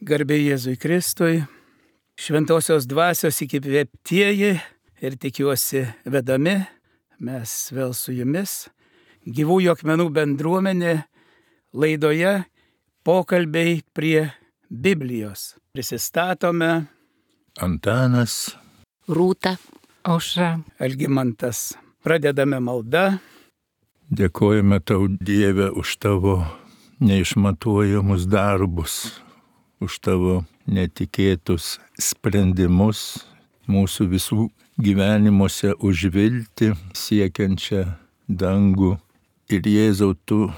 Garbė Jėzui Kristui, šventosios dvasios įkvėptieji ir tikiuosi vedami, mes vėl su jumis, Gyvųjų akmenų bendruomenė laidoje pokalbiai prie Biblijos. Prisistatome Antanas, Rūta, Aušra, Algimantas. Pradedame maldą. Dėkojame tau, Dieve, už tavo neišmatuojamus darbus, už tavo netikėtus sprendimus mūsų visų gyvenimuose, už viltį siekiančią dangų. Ir Jėzau, tu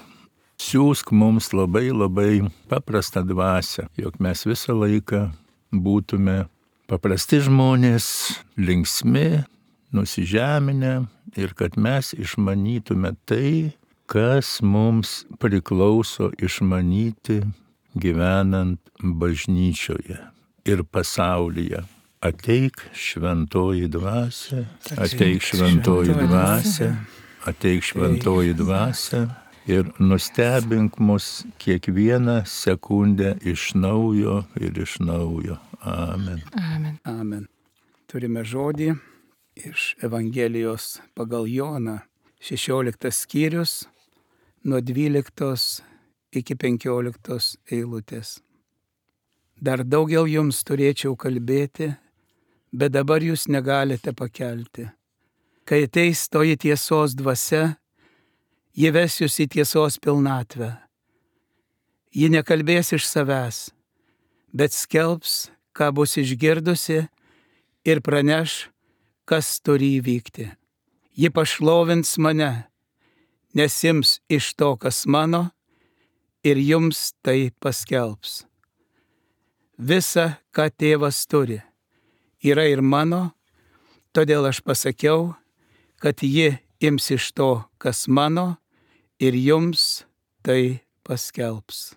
siūsk mums labai paprastą dvasią, jog mes visą laiką būtume paprasti žmonės, linksmi, nusižeminę ir kad mes išmanytume tai, kas mums priklauso išmanyti gyvenant bažnyčioje ir pasaulyje. Ateik šventoji dvasia, ateik šventoji dvasia, ateik šventoji dvasia ir nustebink mus kiekvieną sekundę iš naujo ir iš naujo. Amen. Amen. Amen. Turime žodį iš Evangelijos pagal Joną, 16 skyrius, nuo 12 iki 15 eilutės. Dar daugiau jums turėčiau kalbėti, bet dabar jūs negalite pakelti. Kai ateis toji tiesos dvasia, ji ves jūs į tiesos pilnatvę. Ji nekalbės iš savęs, bet skelbs, ką bus išgirdusi ir praneš, kas turi įvykti. Ji pašlovins mane, nes ims iš to, kas mano, ir jums tai paskelbs. Visa, ką tėvas turi, yra ir mano, todėl aš pasakiau, kad ji ims iš to, kas mano, ir jums tai paskelbs.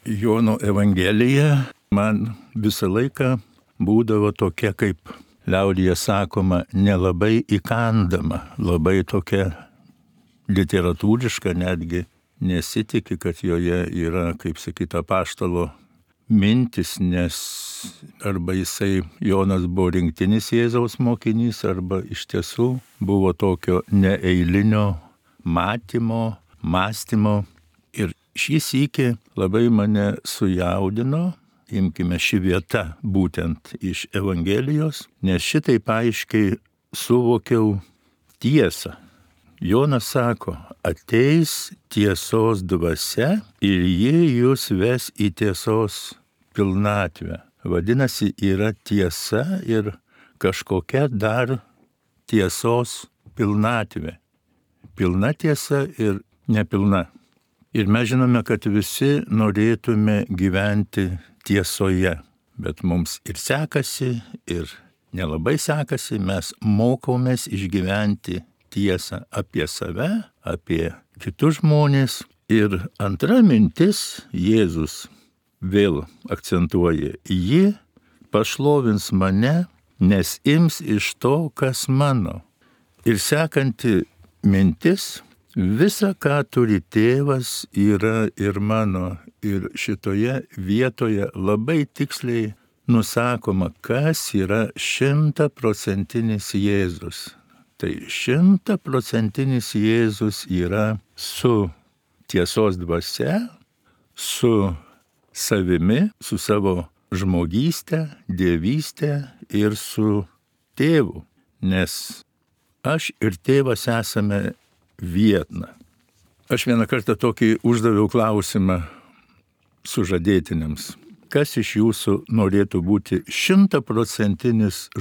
Jono Evangelija man visą laiką būdavo tokia, kaip liaudyje sakoma, nelabai įkandama, labai tokia literatūriška, netgi nesitiki, kad joje yra, kaip sakyta, apaštalo mintis, nes arba Jonas buvo rinktinis Jėzaus mokinys, arba iš tiesų buvo tokio neeilinio matymo, mąstymo. Ir šį sykį labai mane sujaudino, imkime šį vietą būtent iš Evangelijos, nes šitaip aiškiai suvokiau tiesą. Jonas sako, ateis tiesos dvasia ir ji jūs ves į tiesos pilnatvę. Vadinasi, yra tiesa ir kažkokia dar tiesos pilnatvė. Pilna tiesa ir nepilna. Ir mes žinome, kad visi norėtume gyventi tiesoje, bet mums ir sekasi, ir nelabai sekasi, mes mokomės išgyventi tiesą apie save, apie kitus žmonės. Ir antra mintis, Jėzus vėl akcentuoja, ji pašlovins mane, nes ims iš to, kas mano. Ir sekanti mintis, visa, ką turi tėvas, yra ir mano. Ir šitoje vietoje labai tiksliai nusakoma, kas yra 100% Jėzus. Tai 100% Jėzus yra su tiesos dvasia, su savimi, su savo žmogystė, dievystė ir su tėvu. Nes aš ir tėvas esame viena. Aš vieną kartą tokį uždaviau klausimą sužadėtiniams. Kas iš jūsų norėtų būti 100%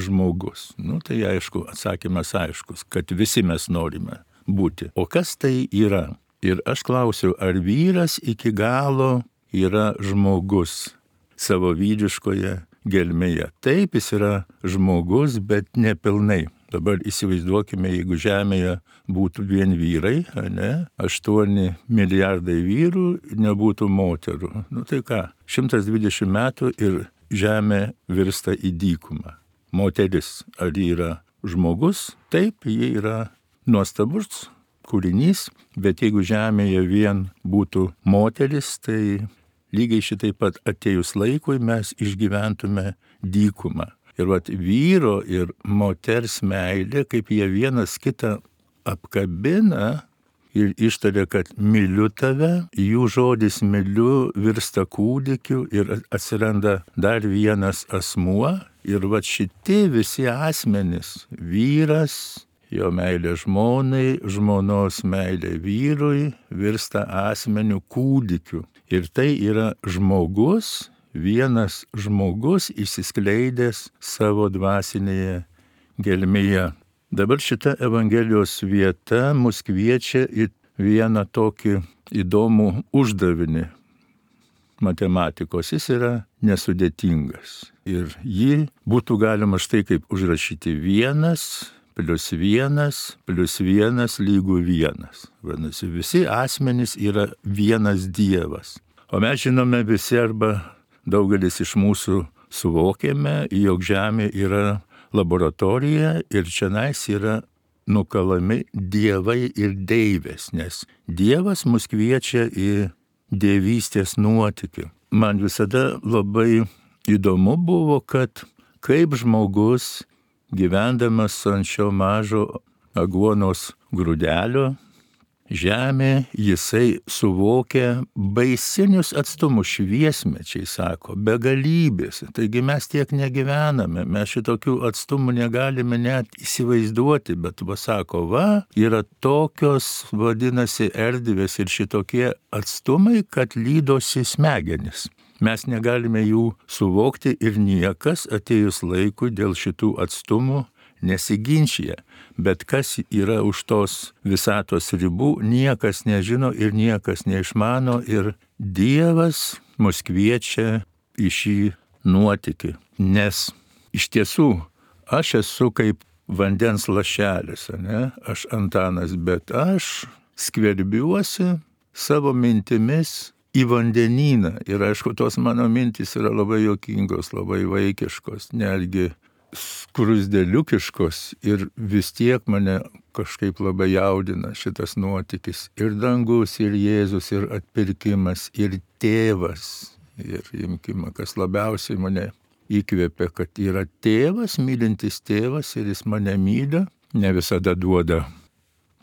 žmogus? Tai aišku, atsakymas aiškus, kad visi mes norime būti. O kas tai yra? Ir aš klausiau, ar vyras iki galo yra žmogus savo vyriškoje gelmėje? Taip, jis yra žmogus, bet nepilnai. Dabar įsivaizduokime, jeigu Žemėje būtų vien vyrai, 8 milijardai vyrų, nebūtų moterų. Tai ką, 120 metų ir Žemė virsta į dykumą. Moteris, ar ji yra žmogus? Taip, ji yra nuostabus kūrinys, bet jeigu Žemėje vien būtų moteris, tai lygiai šitaip pat atėjus laikui mes išgyventume dykumą. Ir vyro ir moters meilė, kaip jie vienas kitą apkabina ir ištaria, kad myliu tave, jų žodis myliu virsta kūdikiu ir atsiranda dar vienas asmuo. Ir šitie visi asmenys, vyras, jo meilė žmonai, žmonos meilė vyrui, virsta asmeniu kūdikiu. Ir tai yra žmogus, vienas žmogus išsiskleidęs savo dvasinėje gelmėje. Dabar šita Evangelijos vieta mus kviečia į vieną tokį įdomų uždavinį matematikos. Jis yra nesudėtingas. Ir jį būtų galima štai kaip užrašyti 1 + 1 + 1 lygu 1. Vadinasi, visi asmenys yra vienas Dievas. O mes žinome visi arba daugelis iš mūsų suvokėme, jog Žemė yra laboratorija ir čionais yra nukalami dievai ir deivės, nes Dievas mus kviečia į dievystės nuotykį. Man visada labai įdomu buvo, kad kaip žmogus gyvendamas ant šio mažo aguonos grūdelio žemė, jisai suvokia baisinius atstumus, šviesmečiai, sako, begalybės. Taigi mes tiek negyvename, mes šitokių atstumų negalime net įsivaizduoti, bet sako, yra tokios, vadinasi, erdvės ir šitokie atstumai, kad lydosi smegenis. Mes negalime jų suvokti ir niekas atėjus laikui dėl šitų atstumų nesiginčia, bet kas yra už tos visatos ribų, niekas nežino ir niekas neišmano ir Dievas mus kviečia į šį nuotykį. Nes iš tiesų aš esu kaip vandens lašelis, aš Antanas, bet aš skverbiuosi savo mintimis į vandenyną ir aišku, tos mano mintys yra labai juokingos, labai vaikiškos, netgi skrusdeliukiškos ir vis tiek mane kažkaip labai jaudina šitas nuotykis. Ir dangus, ir Jėzus, ir atpirkimas, ir tėvas. Ir imkime, kas labiausiai mane įkvėpia, kad yra tėvas, mylintis tėvas ir jis mane myli, ne visada duoda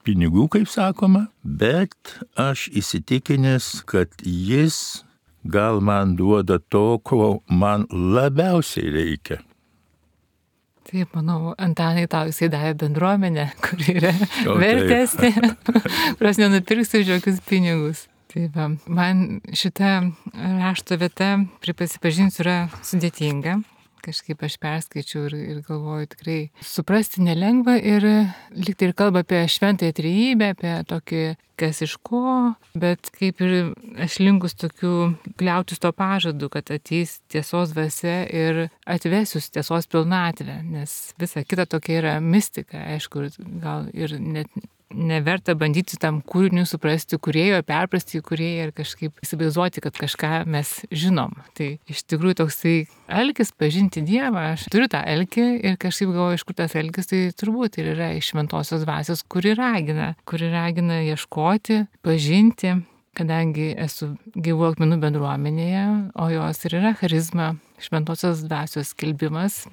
pinigų, kaip sakoma, bet aš įsitikinęs, kad jis gal man duoda to, ko man labiausiai reikia. Taip, manau, Antanai, tau jisai davė bendruomenę, kuri yra vertesnė, kurios nenupirksiu už jokius pinigus. Taip, man šita rašto vieta, prisipažinsiu, yra sudėtinga. Kažkaip aš perskaičiau ir galvoju, tikrai suprasti nelengva ir lyg tai ir kalba apie šventąją trejybę, apie tokį kas iš ko, bet kaip ir aš linkus tokių kliautis to pažadu, kad ateis tiesos dvasia ir atvesius tiesos pilnatvę, nes visa kita tokia yra mistika, aišku, gal ir net neverta bandyti tam kūriniui suprasti kūrėjo, perprasti kūrėją ir kažkaip įsivaizduoti, kad kažką mes žinom. Tai iš tikrųjų toksai alkis pažinti Dievą, aš turiu tą alkį ir kažkaip galvoju, iš kur tas alkis, tai turbūt ir yra iš šventosios dvasios, kuri ragina ieškoti, pažinti, kadangi esu gyvų akmenų bendruomenėje, o jos ir yra charizma, šventosios dvasios skelbimas.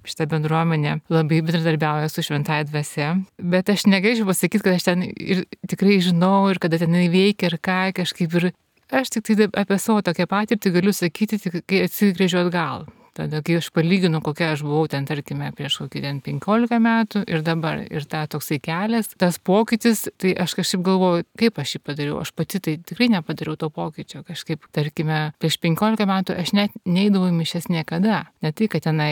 Šitą bendruomenę labai bendradarbiauja su šventąja dvasia, bet aš negalėčiau pasakyti, kad aš ten ir tikrai žinau ir kada ten veikia ir ką, kažkaip ir aš tik tai apie savo tokią patirtį galiu sakyti, kai atsigręžiu atgal. Tada, kai aš palyginu, kokia aš buvau ten, tarkime, prieš kokį 15 metų ir dabar, ir tą toksai kelias, tas pokytis, tai aš kažkaip galvoju, kaip aš jį padariau. Aš pati tai tikrai nepadariau to pokyčio. Kažkaip, tarkime, prieš 15 metų aš net neidavau į mišias niekada. Ne tai, kad tenai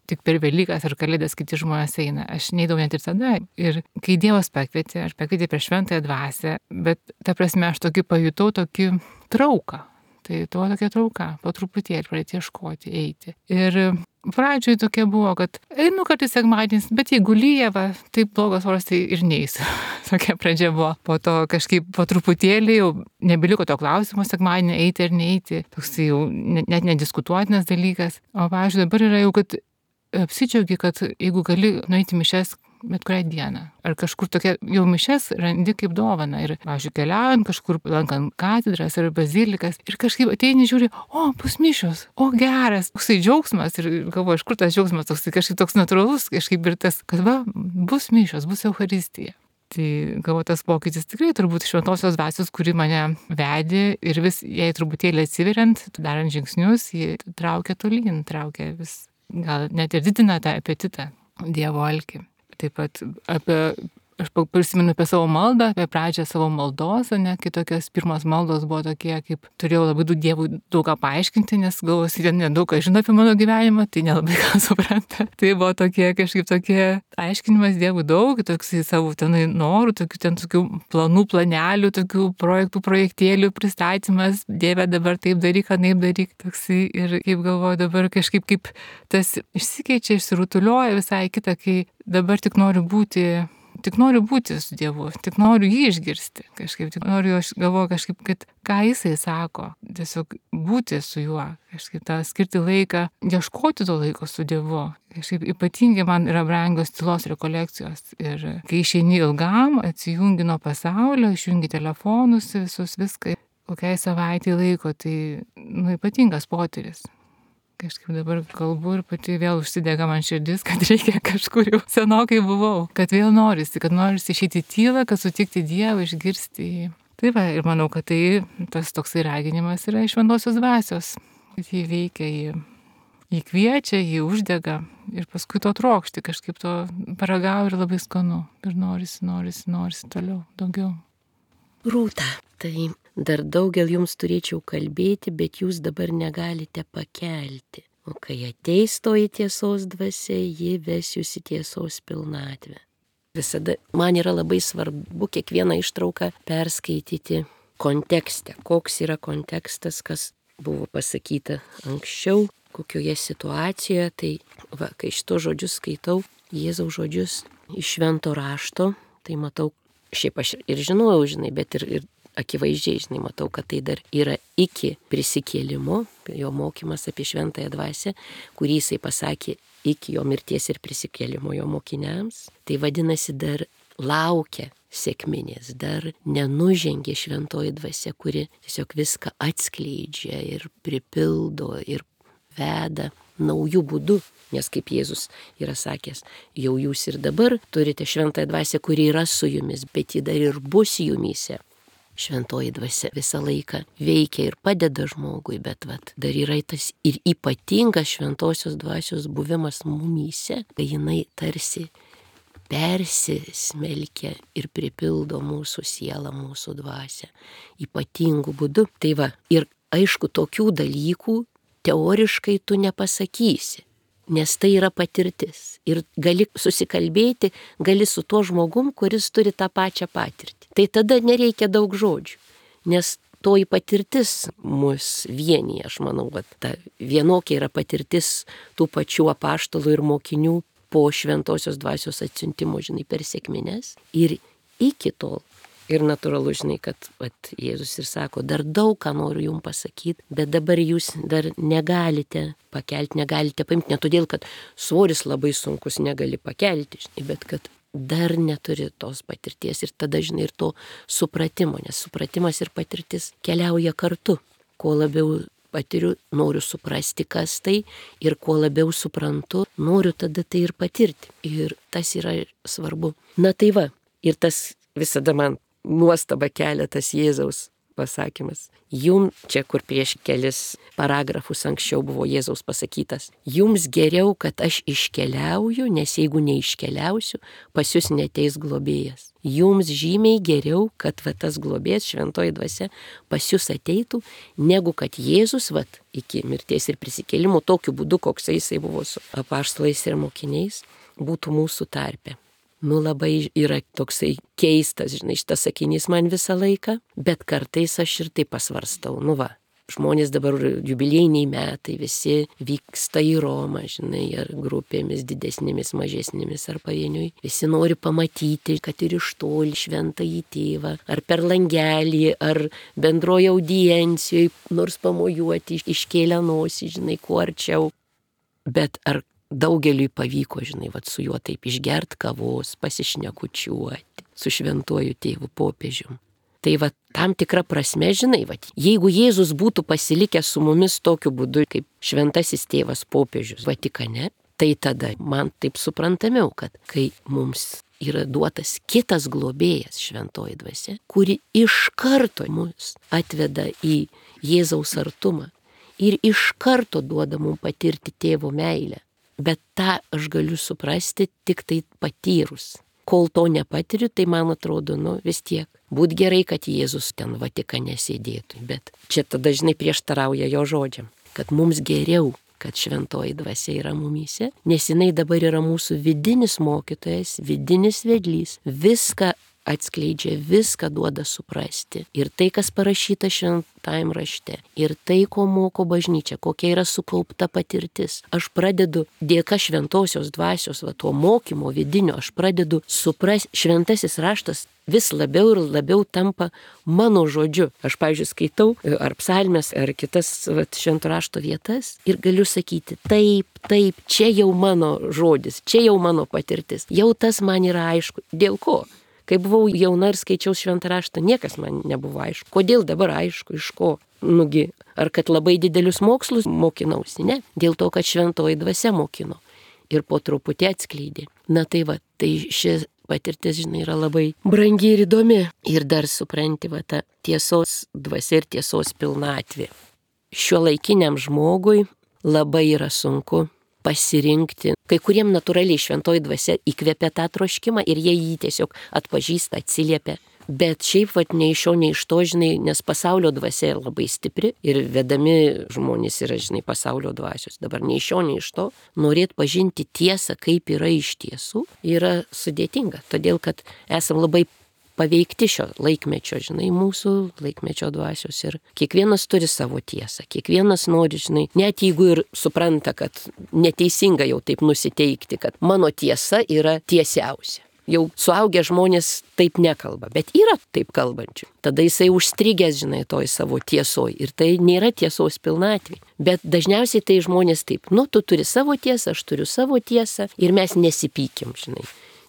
tik per Velykas ar Kalėdas kiti žmonės eina. Aš neidavau net ir tada. Ir kai Dievas pakvietė, aš pakvietė prieš šventąją dvasią, bet ta prasme aš pajutau tokį trauką. Tai to tokia trauka, po truputėlį pradėti ieškoti, eiti. Ir pradžioje tokia buvo, kad einu kartais sekmadienis, bet jeigu lyja, taip blogas oras, tai ir neisiu. Tokia pradžia buvo. Po to kažkaip po truputėlį jau nebeliko to klausimo sekmadienį eiti ar neiti. Toks jau net nediskutuotinas dalykas. O pavyzdžiui, dabar yra jau, kad apsidžiaugi, kad jeigu gali nueiti mišias bet kurią dieną. Ar kažkur tokia jau mišias randi kaip dovana. Ir, pavyzdžiui, keliaujant kažkur, lankant katedras ar bazilikas. Ir kažkaip ateini žiūri, bus mišios, geras. Toksai džiaugsmas. Ir galvoju, iš kur tas džiaugsmas, kažkaip toks natūralus, kažkaip ir tas, kad bus mišios, bus Eucharistija. Tai galvoju, tas pokytis tikrai turbūt šventosios dvasios, kuri mane vedė ir vis jai truputėlį atsiveriant, darant žingsnius, ji traukia tolyn, traukia vis, gal net ir didina tą apetitą, Dievo alkį. Taip pat aš prisimenu apie savo maldą, apie pradžią savo maldos, kai tokios pirmos maldos buvo tokie, kaip turėjau labai Dievui daug ką paaiškinti, nes galvoju, jie nedaug ką žino apie mano gyvenimą, tai nelabai ką supranta. Tai buvo tokie aiškinimas Dievui daug, toksai savo tenai norų, tokių planų, planelių, tokių projektėlių pristatymas, Dieve dabar taip daryk, anaip daryk, toksai ir kaip galvoju dabar kažkaip kaip tas išsikeičia, išsirutulioja visai kita, kai dabar tik noriu būti su Dievu, tik noriu jį išgirsti kažkaip, tik noriu, aš galvoju kažkaip, kad ką jisai sako, tiesiog būti su juo, kažkaip tą skirti laiką, ieškoti to laiko su Dievu. Kažkaip ypatingai man yra brangios tylos rekolekcijos ir kai išeini ilgam, atsijungi nuo pasaulio, išjungi telefonus, visus viską, kokiai savaitį laiko, tai ypatingas potyris. Kažkaip dabar kalbu ir pati vėl užsidega man širdis, kad reikia kažkur jau senokai buvau, kad vėl norisi išeiti į tylą, kad sutikti Dievą, išgirsti jį. Tai va, ir manau, kad tas toksai raginimas yra iš šventosios dvasios. Jį veikia, jį kviečia, jį uždega ir paskui to trokšti, kažkaip to paragauju ir labai skanu. Ir norisi toliau, daugiau. Rūta, tai dar daugel jums turėčiau kalbėti, bet jūs dabar negalite pakelti. O kai ateis toji tiesos dvasia, ji ves jūs į tiesos pilnatvę. Visada man yra labai svarbu kiekvieną ištrauką perskaityti kontekste. Koks yra kontekstas, kas buvo pasakyta anksčiau, kokioje situacijoje. Tai va, kai šito žodžius skaitau, Jėzaus žodžius iš švento rašto, tai matau, šiaip aš ir žinojau, bet ir akivaizdžiai, matau, kad tai dar yra iki prisikėlimo, jo mokymas apie šventąją dvasią, kurį jisai pasakė iki jo mirties ir prisikėlimo jo mokiniams. Tai vadinasi, dar laukia sekminės, dar nenužengė šventoji dvasia, kuri tiesiog viską atskleidžia ir pripildo ir veda naujų būdų. Nes kaip Jėzus yra sakęs, jau jūs ir dabar turite šventąją dvasią, kuri yra su jumis, bet ji dar ir bus jumyse. Šventoji dvasia visą laiką veikia ir padeda žmogui, bet dar yra tas ir ypatingas šventosios dvasios buvimas mumyse, kai jinai tarsi persismelkia ir pripildo mūsų sielą, mūsų dvasią ypatingų būdų. Tai va, ir aišku, tokių dalykų teoriškai tu nepasakysi, nes tai yra patirtis. Ir gali susikalbėti, gali su tuo žmogum, kuris turi tą pačią patirtį. Tai tada nereikia daug žodžių, nes toji patirtis mus vienyje, aš manau, ta vienokia yra patirtis tų pačių apaštalų ir mokinių po šventosios dvasios atsiuntimo, per sekmines. Ir iki tol. Ir natūralu, kad Jėzus ir sako, dar daug ką noriu jums pasakyti, bet dabar jūs dar negalite pakelti, negalite paimti, ne todėl, kad svoris labai sunkus negali pakelti, bet kad dar neturi tos patirties ir tada, ir to supratimo, nes supratimas ir patirtis keliauja kartu. Kuo labiau patiriu, noriu suprasti, kas tai, ir kuo labiau suprantu, noriu tada tai ir patirti. Ir tas yra svarbu. Na tai va, ir tas visada man nuostaba kelia tas Jėzaus pasakymas. Jums, čia kur prieš kelis paragrafus anksčiau buvo Jėzaus pasakytas, jums geriau, kad aš iškeliauju, nes jeigu neiškeliausiu, pas jūs neteis globėjas. Jums žymiai geriau, kad tas globėjas, šventoji dvasia, pas jūs ateitų, negu kad Jėzus iki mirties ir prisikėlimo, tokiu būdu, koks jisai buvo su apaštalais ir mokiniais, būtų mūsų tarpe. Labai yra toksai keistas, šitas sakinys man visą laiką, bet kartais aš ir taip pasvarstau. Žmonės dabar jubiliejiniai metai, visi vyksta į Romą, ar grupėmis didesnėmis, mažesnėmis, ar pavieniui. Visi nori pamatyti, kad ir iš toli šventąjį tėvą, ar per langelį, ar bendroje audiencijoje, nors pamojuoti, iškėlę nosį, kuo arčiau. Bet ar daugeliui pavyko, žinai, vat su juo taip išgert kavos, pasišnekučiuoti, su šventuoju tėvu popiežium. Tai va tam tikra prasme, žinai, va, jeigu Jėzus būtų pasilikęs su mumis tokiu būdu, kaip šventasis tėvas popiežius Vatikane, tai tada man taip suprantamiau, kad kai mums yra duotas kitas globėjas, šventoji dvasia, kuri iš karto mus atveda į Jėzaus artumą ir iš karto duoda mums patirti tėvo meilę. Bet tą aš galiu suprasti tik tai patyrus. Kol to nepatiriu, tai man atrodo, vis tiek. Būt gerai, kad Jėzus ten Vatikane sėdėtų, bet čia tada dažnai prieštarauja jo žodžiam, kad mums geriau, kad šventoji dvasia yra mumyse, nes jinai dabar yra mūsų vidinis mokytojas, vidinis vedlys, viską atskleidžia, viską duoda suprasti. Ir tai, kas parašyta šventajam rašte, ir tai, ko moko bažnyčia, kokia yra sukaupta patirtis. Aš pradedu, dėka šventosios dvasios, to mokymo vidinio, aš pradedu suprasti, šventasis raštas vis labiau ir labiau tampa mano žodžiu. Aš, pavyzdžiui, skaitau ar psalmes, ar kitas švento rašto vietas ir galiu sakyti, taip, čia jau mano žodis, čia jau mano patirtis. Jau tas man yra aišku. Dėl ko? Kai buvau jauna ir skaičiau šventą raštą, niekas man nebuvo aišku. Kodėl dabar aišku, iš ko? Nugi, ar kad labai didelius mokslus mokinausi? Ne, dėl to, kad šventoji dvasia mokino ir po truputį atskleidė. Na tai va, tai ši patirtis, žinai, yra labai brangi ir įdomi. Ir dar supranti, va, ta tiesos dvasia ir tiesos pilnatvė. Šiuolaikiniam žmogui labai yra sunku pasirinkti. Kai kuriem natūraliai šventoji dvasia įkvepia tą troškimą ir jie jį tiesiog atpažįsta, atsiliepia. Bet šiaip, nei iš šio, nei iš to, žinai, nes pasaulio dvasia labai stipri ir vedami žmonės yra, žinai, pasaulio dvasios. Dabar nei iš šio, nei iš to, norėt pažinti tiesą, kaip yra iš tiesų, yra sudėtinga. Todėl, kad esam labai paveikti šio laikmečio, žinai, mūsų laikmečio dvasios ir kiekvienas turi savo tiesą, kiekvienas nori, žinai, net jeigu ir supranta, kad neteisinga jau taip nusiteikti, kad mano tiesa yra tiesiausia. Jau suaugę žmonės taip nekalba, bet yra taip kalbančių. Tada jisai užstrigęs, žinai, toj savo tiesoj ir tai nėra tiesos pilnatvė. Bet dažniausiai tai žmonės taip, tu turi savo tiesą, aš turiu savo tiesą ir mes nesipykim, žinai.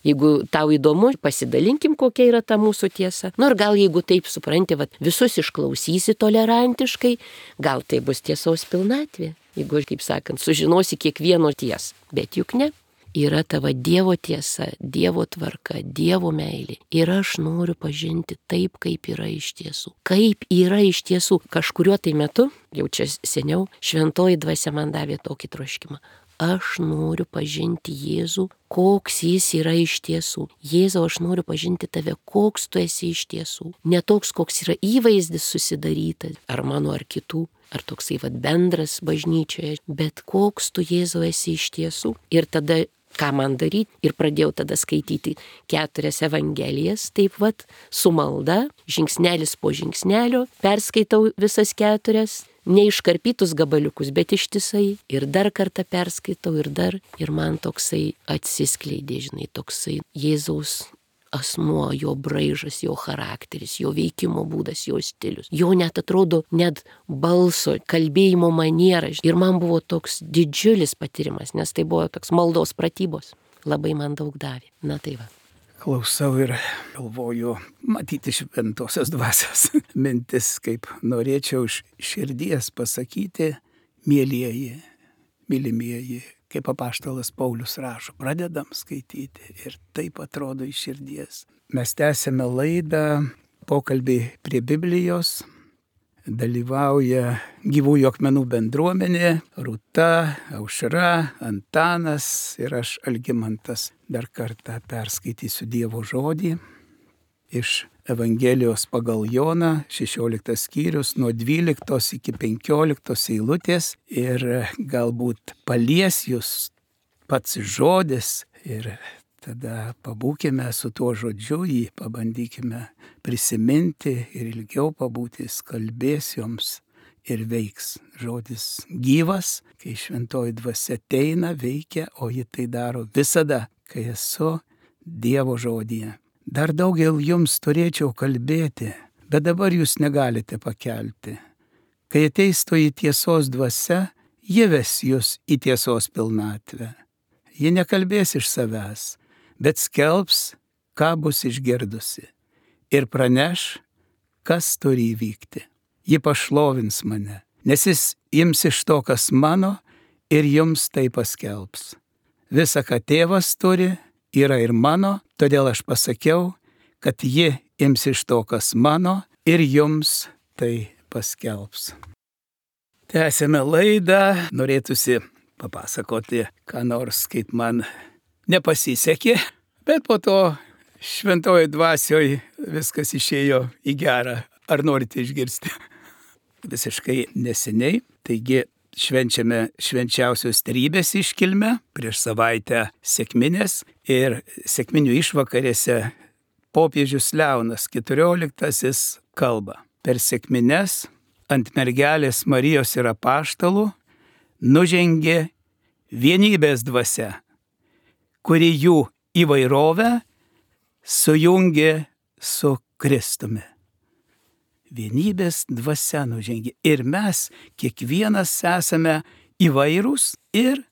Jeigu tau įdomu, pasidalinkim, kokia yra ta mūsų tiesa. Ir gal jeigu taip supranti, visus išklausysi tolerantiškai, gal tai bus tiesos pilnatvė. Jeigu, kaip sakant, sužinosi kiekvieno tiesą. Bet juk ne. Yra tavo Dievo tiesa, Dievo tvarka, Dievo meilė. Ir aš noriu pažinti taip, kaip yra iš tiesų. Kaip yra iš tiesų. Kažkuriuo tai metu, jau čia seniau, šventoji dvasia man davė tokį troškimą. Aš noriu pažinti Jėzų, koks jis yra iš tiesų. Jėzau, aš noriu pažinti tave, koks tu esi iš tiesų. Ne toks, koks yra įvaizdis susidarytas, ar mano, ar kitų, ar toksai bendras bažnyčioje, bet koks tu, Jėzau, esi iš tiesų. Ir tada, ką man daryti? Ir pradėjau tada skaityti 4 evangelijas, taip su malda, žingsnelis po žingsnelio, perskaitau visas 4. Neiškarpytus gabaliukus, bet ištisai. Ir dar kartą perskaitau ir man toksai atsiskleidė, žinai, toksai Jėzaus asmuo, jo braižas, jo charakteris, jo veikimo būdas, jo stilius. Jo net atrodo, net balso, kalbėjimo maniera. Ir man buvo toks didžiulis patyrimas, nes tai buvo toks maldos pratybos. Labai man daug davė. Na tai va. Klausau ir galvoju, matyti šventosios dvasios mintis, kaip norėčiau iš širdies pasakyti, mielieji, mylimieji, kaip apaštalas Paulius rašo, pradedam skaityti ir taip atrodo iš širdies. Mes tęsėme laidą, pokalbį prie Biblijos, dalyvauja Gyvųjų akmenų bendruomenė, Rūta, Aušra, Antanas ir aš, Algimantas. Dar kartą perskaitysiu Dievo žodį iš Evangelijos pagal Joną, 16 skyrius, nuo 12 iki 15 eilutės ir galbūt palies jūs pats žodis ir tada pabūkime su tuo žodžiu, jį pabandykime prisiminti ir ilgiau pabūti, jis kalbės joms ir veiks. Žodis gyvas, kai šventoji dvasia ateina, veikia, o ji tai daro visada, kai esu Dievo žodyje. Dar daugel jums turėčiau kalbėti, bet dabar jūs negalite pakelti. Kai ateis toji tiesos dvasia, ji ves jūs į tiesos pilnatvę. ji nekalbės iš savęs, bet skelbs, ką bus išgirdusi, ir praneš, kas turi įvykti. Ji pašlovins mane, nes jis ims iš to, kas mano, ir jums tai paskelbs. Visa, ką tėvas turi, yra ir mano, todėl aš pasakiau, kad ji ims iš to, kas mano, ir jums tai paskelbs. Tęsėme laidą, norėtųsi papasakoti, ką nors, kaip man nepasisekė, bet po to šventoje dvasioje viskas išėjo į gerą. Ar norite išgirsti? Visiškai neseniai, taigi švenčiame švenčiausios trejybės iškilmę, prieš savaitę sekminės ir sekminių išvakarėse popiežius Leonas XIV kalba. Per sekmines ant mergelės Marijos ir apaštalų nužengė vienybės dvasia, kuri jų įvairovę sujungė su Kristumi. Vienybės dvasia nužengė ir mes kiekvienas esame įvairūs ir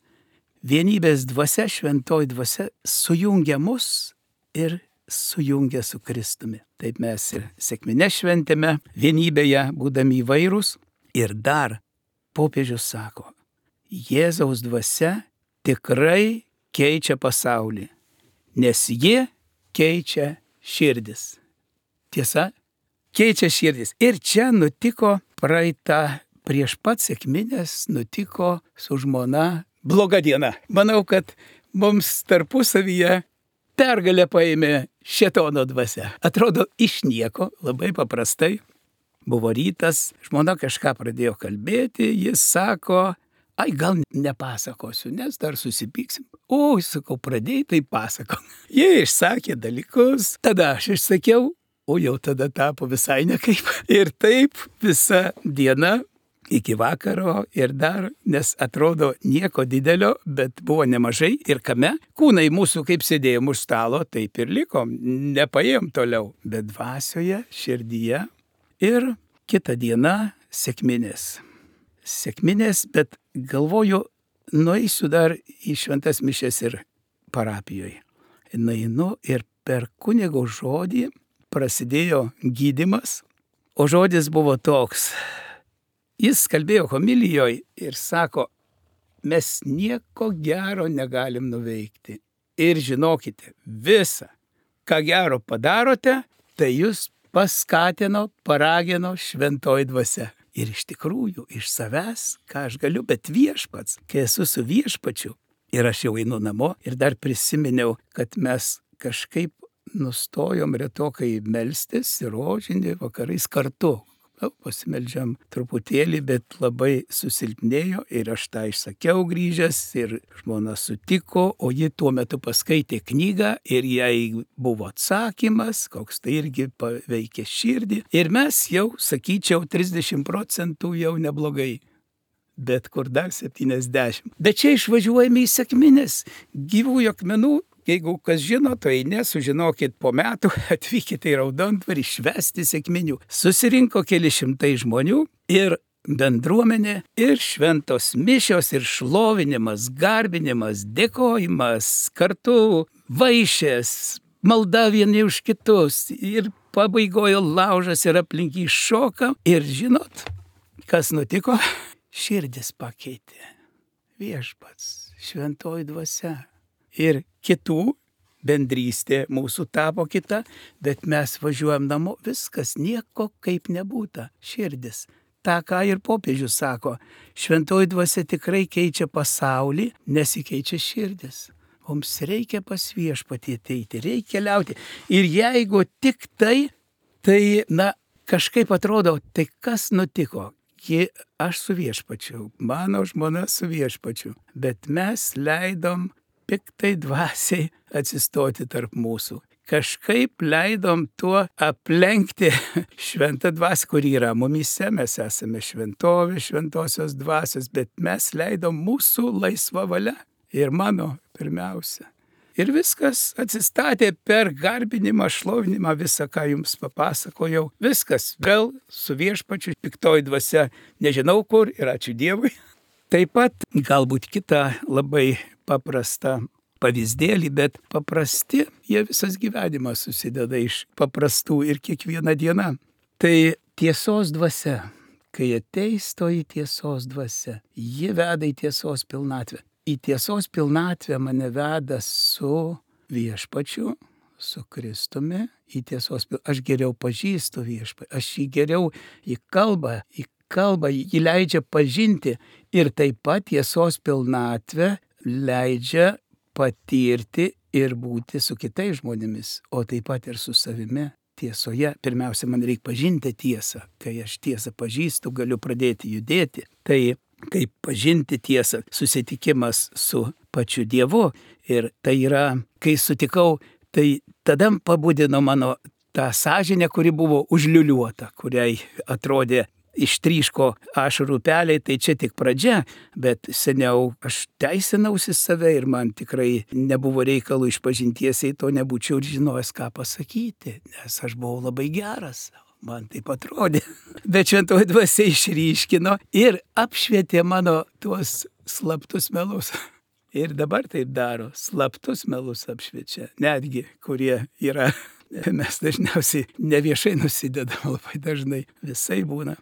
vienybės dvasia, šventoji dvasia sujungia mus ir sujungia su Kristumi. Taip mes ir sekminę šventėme vienybėje, būdami įvairūs. Ir dar popiežius sako, Jėzaus dvasia tikrai keičia pasaulį, nes ji keičia širdis. Tiesa, keičia širdis. Ir čia nutiko prieš pat sekminės, nutiko su žmona bloga diena. Manau, kad mums tarpusavyje pergalę paėmė šėtono dvasia. Atrodo, iš nieko, labai paprastai. Buvo rytas, žmona kažką pradėjo kalbėti, jis sako, ai gal nepasakosiu, nes dar susipyksim. O, sakau, pradėjai, tai pasako. Jie išsakė dalykus, tada aš išsakiau, o jau tada tapo visai nekaip. Ir taip visa diena iki vakaro ir dar, nes atrodo nieko didelio, bet buvo nemažai ir kame. Kūnai mūsų kaip sėdėjom už stalo, taip ir likom, nepaėjom toliau, bet dvasioje, širdyje. Ir kitą dieną sekminės. Sekminės, bet galvoju, nueisiu dar į šventas mišias ir parapijoje. Nueinu ir per kunigo žodį prasidėjo gydymas, o žodis buvo toks. Jis kalbėjo homilijoje ir sako, mes nieko gero negalim nuveikti. Ir žinokite, visa, ką gero padarote, tai jūs paskatino, paragino šventoji dvasia. Ir iš tikrųjų, iš savęs, ką aš galiu, bet viešpats, kai esu su viešpačiu, ir aš jau einu namo, ir dar prisiminiau, kad mes kažkaip nustojom retokai melstis ir rožinį vakarais kartu. Pasimeldžiam truputėlį, bet labai susilpnėjo ir aš tą išsakiau grįžęs ir žmona sutiko, o ji tuo metu paskaitė knygą ir jai buvo atsakymas, koks tai irgi paveikė širdį. Ir mes jau, sakyčiau, 30% jau neblogai, bet kur dar 70. Bet čia išvažiuojame į sekmines, gyvųjų akmenų. Jeigu kas žino, tai nesužinokit po metų, atvykite į Raudondvarį švęsti sekminių. Susirinko keli šimtai žmonių ir bendruomenė, ir šventos mišios, ir šlovinimas, garbinimas, dėkojimas, kartu vaišės, malda vieni už kitus, ir pabaigojo laužas ir aplink jį šoka. Ir žinot, kas nutiko? Širdis pakeitė. Viešpats, šventoji dvasia. Ir kitų bendrystė mūsų tapo kita, bet mes važiuojam namo, viskas nieko kaip nebūta. Širdis. Ta, ką ir popiežius sako, šventoji dvasia tikrai keičia pasaulį, nesikeičia širdis. Mums reikia pas viešpatį ateiti, reikia keliauti. Ir jeigu tik tai, kažkaip atrodo, tai kas nutiko? Aš su viešpačiu, mano žmona su viešpačiu, bet mes leidom piktai dvasiai atsistoti tarp mūsų. Kažkaip leidom tuo aplenkti šventą dvasią, kuri yra mumyse, mes esame šventovė, šventosios dvasios, bet mes leidom mūsų laisvą valią ir mano pirmiausia. Ir viskas atsistatė per garbinimą, šlovinimą, visą, ką jums papasakojau. Viskas vėl su viešpačiu, piktoji dvasia, nežinau kur ir ačiū Dievui. Taip pat galbūt kita labai paprasta pavyzdėlį, bet paprasti, jie visas gyvenimas susideda iš paprastų ir kiekviena diena. Tai tiesos dvasia, kai ateis toji tiesos dvasia, ji veda į tiesos pilnatvę. Į tiesos pilnatvę mane veda su viešpačiu, su Kristumi, į tiesos pilnatvę. Aš geriau pažįstu viešpatį, aš jį geriau į kalbą, jį leidžia pažinti ir taip pat tiesos pilnatvę leidžia patirti ir būti su kitais žmonėmis, o taip pat ir su savimi. Tiesoje, pirmiausia, man reikia pažinti tiesą. Kai aš tiesą pažįstu, galiu pradėti judėti. Tai kaip pažinti tiesą, susitikimas su pačiu Dievu. Ir tai yra, kai sutikau, tai tada pabudino mano tą sąžinę, kuri buvo užliuliuota, kuriai atrodė ištryško ašarų upeliai, tai čia tik pradžia, bet seniau aš teisinausi save ir man tikrai nebuvo reikalų išpažinties, jei to nebūčiau ir žinojęs, ką pasakyti, nes aš buvau labai geras. Man taip atrodė. Bet šventoji dvasia išryškino ir apšvietė mano tuos slaptus melus. Ir dabar taip daro, slaptus melus apšviečia, netgi kurie yra. Mes dažniausiai neviešai nusidedam, labai dažnai visai būna.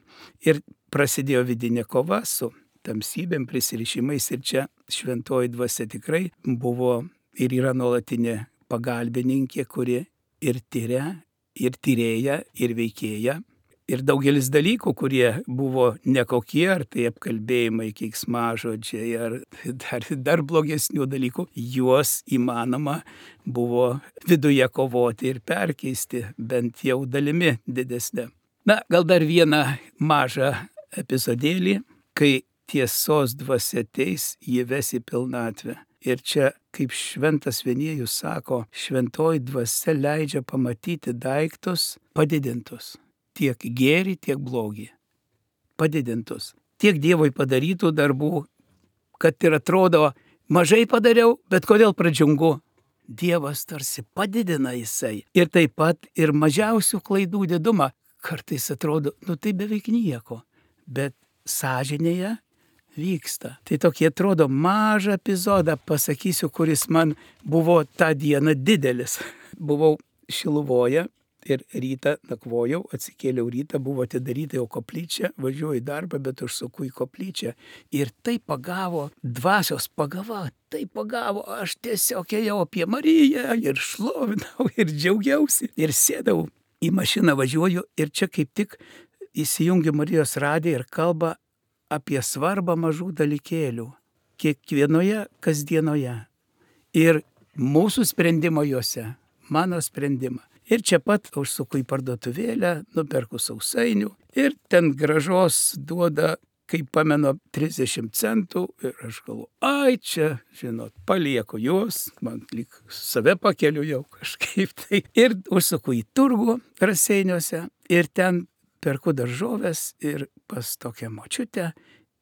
Ir prasidėjo vidinė kova su tamsybėm, prisirišimais ir čia šventoji dvasia tikrai buvo ir yra nuolatinė pagalbininkė, kuri ir tyria, ir tyrėja, ir veikėja. Ir daugelis dalykų, kurie buvo nekokie, ar tai apkalbėjimai, keiksmažodžiai, ar dar blogesnių dalykų, juos įmanoma buvo viduje kovoti ir perkeisti, bent jau dalimi didesnė. Na, gal dar vieną mažą epizodėlį, kai tiesos dvasia ateis, jį ves į pilnatvę. Ir čia, kaip šventas Vienėjus sako, šventoji dvasia leidžia pamatyti daiktus padidintus. Tiek gėrį, tiek blogį. Padidintus. Tiek Dievui padarytų darbų, kad ir atrodo, mažai padariau, bet kodėl pradžiungu? Dievas tarsi padidina jisai. Ir taip pat ir mažiausių klaidų didumą. Kartais atrodo, tai beveik nieko, bet sąžinėje vyksta. Tai tokie atrodo mažą epizodą pasakysiu, kuris man buvo tą dieną didelis. Buvau Šiluvoje. Ir rytą nakvojau, atsikėliau rytą, buvo atidaryta jau koplyčia, važiuoju į darbą, bet užsuku į koplyčią. Ir tai pagavo, dvasios pagava, tai pagavo, aš tiesiog ėjau apie Mariją ir šlovinau ir džiaugiausi. Ir sėdau į mašiną, važiuoju ir čia kaip tik įsijungiu Marijos radiją ir kalba apie svarbą mažų dalykėlių. Kiekvienoje kasdienoje. Ir mūsų sprendimo juose, mano sprendimą. Ir čia pat užsuku į parduotuvėlę, nuperku sausainių ir ten gražos duoda, kaip pamenu, 30 centų ir aš galvoju, čia, žinot, palieku juos, man lyg save pakeliu jau kažkaip tai. Ir užsuku į turgų Raseiniuose ir ten perku daržoves ir pas tokią močiutę.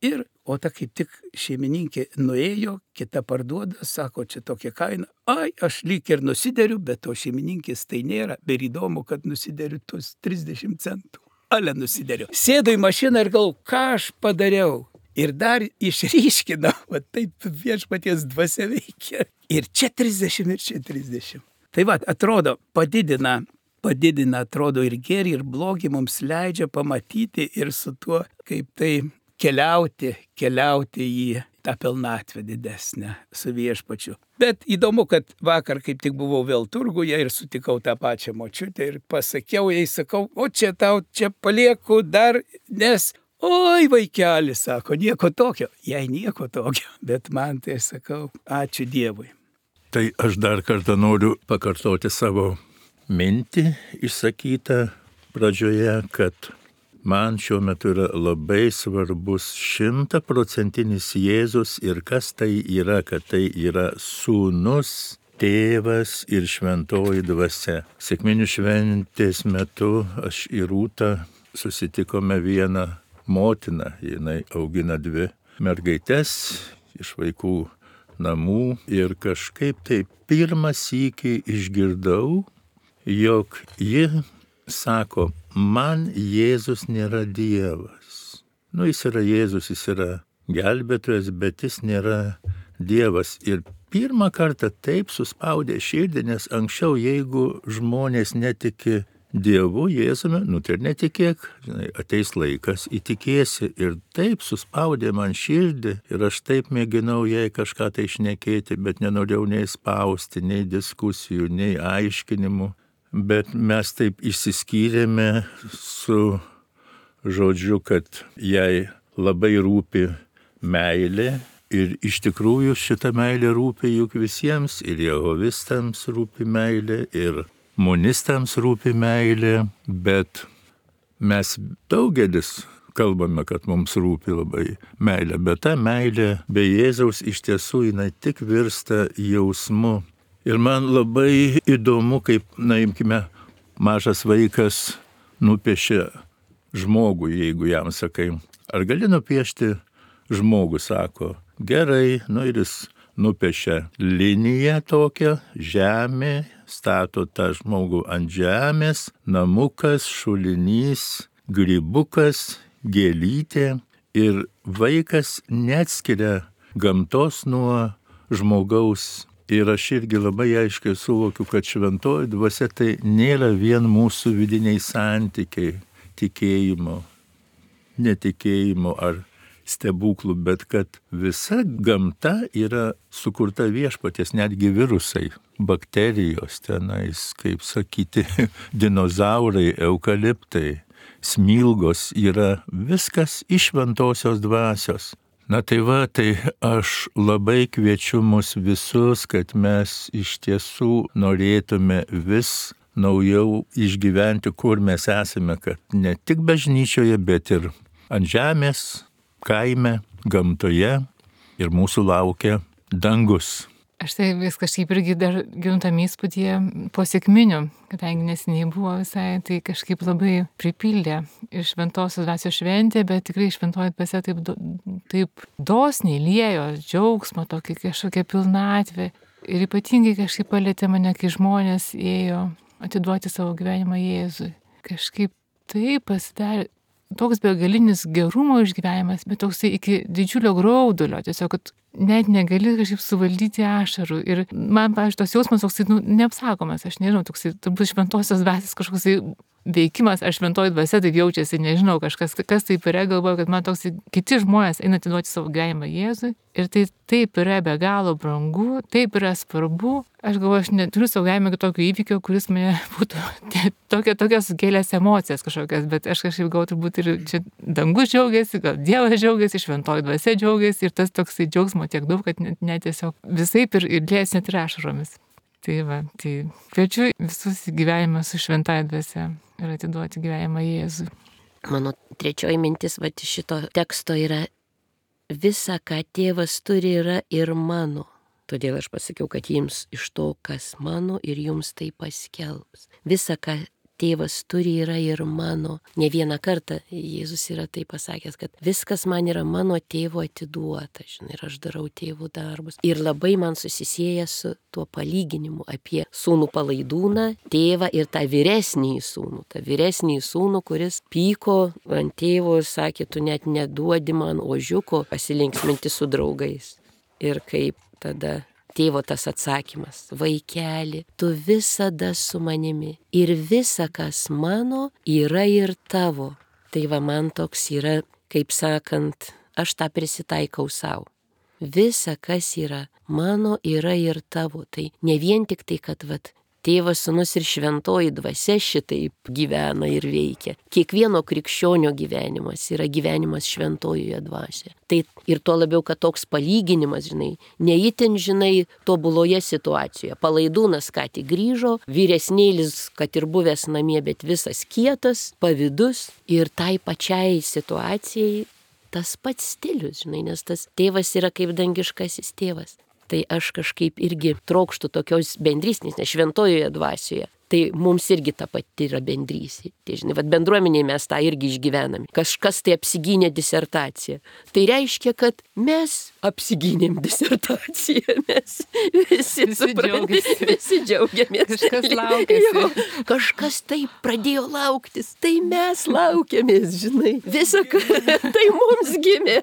Ir, o ta kaip tik šeimininkė nuėjo, kita parduoda, sako, čia tokia kaina. Aš lyg ir nusideriu, bet to šeimininkės tai nėra. Bet įdomu, kad nusideriu tuos 30 centų. Ale nusideriu. Sėdu į mašiną ir galvoju, ką aš padariau. Ir dar išryškinau, va taip viešpaties dvasia veikia. Ir čia 30, ir čia 30. Tai va, atrodo, padidina, atrodo, ir gėrį, ir blogį mums leidžia pamatyti ir su tuo, kaip tai keliauti į tą pilnatvę didesnę su viešpačiu. Bet įdomu, kad vakar kaip tik buvau vėl turguje ir sutikau tą pačią močiutę ir pasakiau jai, sakau, čia tau čia palieku dar, nes, vaikeli, sako, nieko tokio. Jai nieko tokio, bet man tai sakau, ačiū Dievui. Tai aš dar kartą noriu pakartoti savo mintį išsakytą pradžioje, kad man šiuo metu yra labai svarbus 100% Jėzus ir kas tai yra, kad tai yra Sūnus, Tėvas ir Šventoji Dvasia. Sekminių šventės metu aš ir Rūta susitikome vieną motiną, jinai augina 2 mergaites iš vaikų namų ir kažkaip tai pirmą sykį išgirdau, jog ji sako, man Jėzus nėra Dievas. Jis yra Jėzus, jis yra gelbėtojas, bet jis nėra Dievas. Ir pirmą kartą taip suspaudė širdį, nes anksčiau, jeigu žmonės netiki Dievu, Jėzumi, tai ir netikėk, žinai, ateis laikas, įtikėsi. Ir taip suspaudė man širdį ir aš taip mėginau jai kažką tai šnekėti, bet nenorėjau nei spausti, nei diskusijų, nei aiškinimų. Bet mes taip išsiskyrėme su žodžiu, kad jai labai rūpi meilė. Ir iš tikrųjų šita meilė rūpi juk visiems, ir jehovistams rūpi meilė, ir monistams rūpi meilė, bet mes daugelis kalbame, kad mums rūpi labai meilė, bet ta meilė be Jėzaus iš tiesų jinai tik virsta jausmu. Ir man labai įdomu, kaip, imkime, mažas vaikas nupiešia žmogų, jeigu jam sakai, ar gali nupiešti žmogų, sako, gerai, ir jis nupiešia liniją tokią, žemė, stato tą žmogų ant žemės, namukas, šulinys, grybukas, gėlytė, ir vaikas neatskiria gamtos nuo žmogaus. Ir aš irgi labai aiškiai suvokiu, kad šventoji dvasia tai nėra vien mūsų vidiniai santykiai, tikėjimo, netikėjimo ar stebuklų, bet kad visa gamta yra sukurta viešpaties, netgi virusai, bakterijos tenais, kaip sakyti, dinozaurai, eukaliptai, smilgos, yra viskas iš šventosios dvasios. Tai aš labai kviečiu mus visus, kad mes iš tiesų norėtume vis naujau išgyventi, kur mes esame, kad ne tik bažnyčioje, bet ir ant žemės, kaime, gamtoje, ir mūsų laukia dangus. Aš tai vis kažkaip irgi dar giuntam įspūdį po sekminių, kadangi neseniai buvo visai, tai kažkaip labai pripildė iš šventosios dvasios šventė, bet tikrai šventoji dvasia taip dosniai liejo džiaugsmą, tokį kažkokią pilnatvę. Ir ypatingai kažkaip palėtė mane, kai žmonės ėjo atiduoti savo gyvenimą Jėzui. Kažkaip taip pasidarė toks begalinis gerumo išgyvenimas, bet toksai iki didžiulio graudulio, tiesiog, kad net negali kažkaip suvaldyti ašarų. Ir man, pavyzdžiui, tos jausmas toksai, neapsakomas, aš nežinau, toksai turbūt šventosios dvasios kažkoksai veikimas, aš šventoji dvasia taip jaučiasi, nežinau, kažkas, kas taip yra, galvoju, kad man toksai kiti žmonės eina atiduoti savo gyvenimą Jėzui. Ir tai taip yra be galo brangu, taip yra svarbu. Aš galvoju, aš neturiu savo gyvenime tokio įvykio, kuris mane būtų tokias sukėlęs emocijas kažkokias, bet aš kažkaip gal turbūt ir čia dangus džiaugiasi, gal Dievas džiaugiasi, šventoji dvasia džiaugiasi, ir tas toksai džiaugsmo tiek daug, kad net tiesiog visaip ir lies net ir ašaromis. Tai kviečiu visus į gyvenimą su šventąja dvasia ir atiduoti gyvenimą Jėzui. Mano trečioji mintis šito teksto yra: visa, ką tėvas turi, yra ir mano. Todėl aš pasakiau, kad jums iš to, kas mano, ir jums tai paskelbs. Visa, ką tėvas turi, yra ir mano. Ne vieną kartą Jėzus yra tai pasakęs, kad viskas man yra mano tėvo atiduota, ir aš darau tėvų darbus. Ir labai man susisieja su tuo palyginimu apie sūnų palaidūną, tėvą ir tą vyresnįjį sūnų. Ta vyresnįjį sūnų, kuris pyko ant tėvo ir sakė, tu net neduodi man ožiuko pasilinksminti su draugais. Ir kaip tada tėvo tas atsakymas: vaikeli, tu visada su manimi ir visa, kas mano, yra ir tavo. Tai man toks yra, kaip sakant, aš tą prisitaikau savo. Visa, kas yra mano, yra ir tavo. Tai ne vien tik tai, kad tėvas, sūnus ir šventoji dvasia šitaip gyvena ir veikia. Kiekvieno krikščionio gyvenimas yra gyvenimas šventojoje dvasioje. Tai ir tuo labiau, kad toks palyginimas, neįtin, tobuloje situacijoje. Palaidūnas ką tik grįžo, vyresnėlis, kad ir buvęs namie, bet visas kietas, pavydus, ir tai pačiai situacijai tas pats stilius, nes tas tėvas yra kaip dangiškasis tėvas. Tai aš kažkaip irgi trokštų tokios bendrystės, nes šventojoje dvasioje. Tai mums irgi ta pati yra bendrystė. Tai bendruomeniai mes tą irgi išgyvename. Kažkas tai apsigynė disertaciją. Tai reiškia, kad mes apsigynėm disertaciją. Mes visi džiaugiamės. Kažkas laukėsi. Kažkas taip pradėjo lauktis. Tai mes laukiamės, Visa, tai mums gimė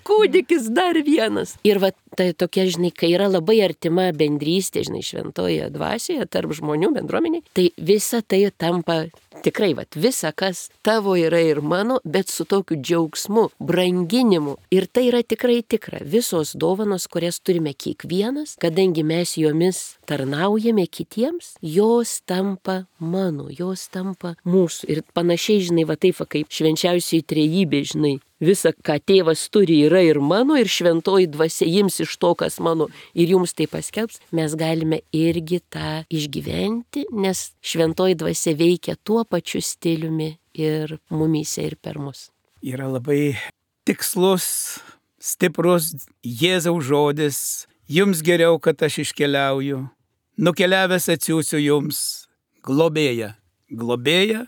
kūdikis dar vienas. Ir tai tokia, žinai, kai yra labai artima bendrystė, žinai, šventoje dvasioje, tarp žmonių bendruomeniai, tai visa tai tampa tikrai, visa, kas tavo yra ir mano, bet su tokiu džiaugsmu, branginimu. Ir tai yra tikrai tikra. Visos dovanos, kurias turime kiekvienas, kadangi mes jomis tarnaujame kitiems, jos tampa mano, jos tampa mūsų. Ir panašiai, žinai, taip, kaip švenčiausiai trejybė, žinai, visa, ką tėvas turi, yra ir mano, ir šventoji dvasia ims iš to, kas mano, ir jums tai paskelbs, mes galime irgi tą išgyventi, nes šventoji dvasia veikia tuo pačiu stiliumi ir mumyse, ir per mus. Yra labai tikslus, stiprus Jėzaus žodis. Jums geriau, kad aš iškeliauju. Nukeliavęs atsiųsiu jums globėją. Globėją,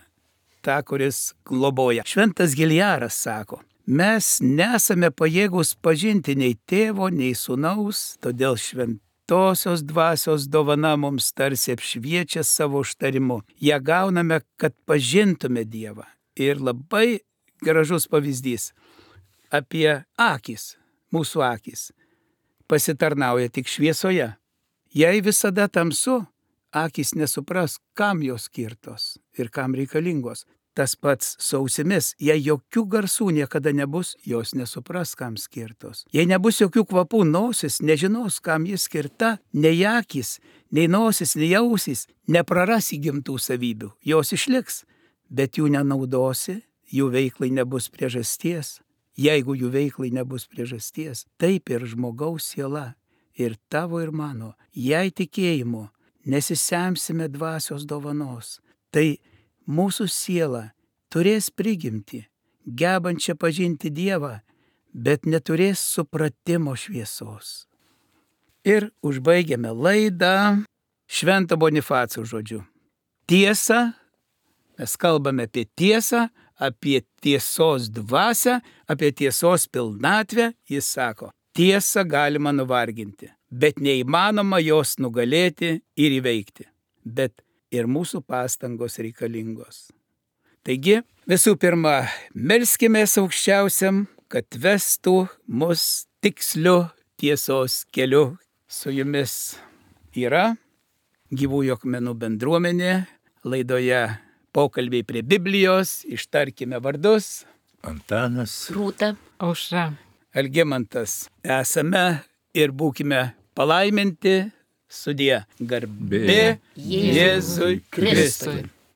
tą, kuris globoja. Šventas Giljaras sako, mes nesame pajėgus pažinti nei tėvo, nei sūnaus, todėl šventosios dvasios dovana mums tarsi apšviečia savo užtarimu. Ja gauname, kad pažintume Dievą. Ir labai gražus pavyzdys apie akis, mūsų akis, pasitarnauja tik šviesoje. Jei visada tamsu, akis nesupras, kam jos skirtos ir kam reikalingos. Tas pats su ausimis, jei jokių garsų niekada nebus, jos nesupras, kam skirtos. Jei nebus jokių kvapų, nosis nežinos, kam jis skirta, nei akis, nei nosis, nei ausys, nepraras įgimtų savybių, jos išliks, bet jų nenaudosi, jų veiklai nebus priežasties. Jeigu jų veiklai nebus priežasties, taip ir žmogaus siela, ir tavo ir mano, jei tikėjimu nesisemsime dvasios dovanos, tai mūsų siela turės prigimtį, gebančią pažinti Dievą, bet neturės supratimo šviesos. Ir užbaigiame laidą Švento Bonifaco žodžiu. Tiesa, mes kalbame apie tiesą, apie tiesos dvasią, apie tiesos pilnatvę. Jis sako, tiesą galima nuvarginti, bet neįmanoma jos nugalėti ir įveikti. Bet ir mūsų pastangos reikalingos. Taigi, visų pirma, melskimės aukščiausiam, kad vestų mus tiksliu tiesos keliu. Su jumis yra Gyvųjų akmenų bendruomenė, laidoje pokalbiai prie Biblijos, ištarkime vardus. Antanas, Rūta, Aušra, Algimantas. Esame ir būkime palaiminti. Sudie. Garbė Jėzui Kristui.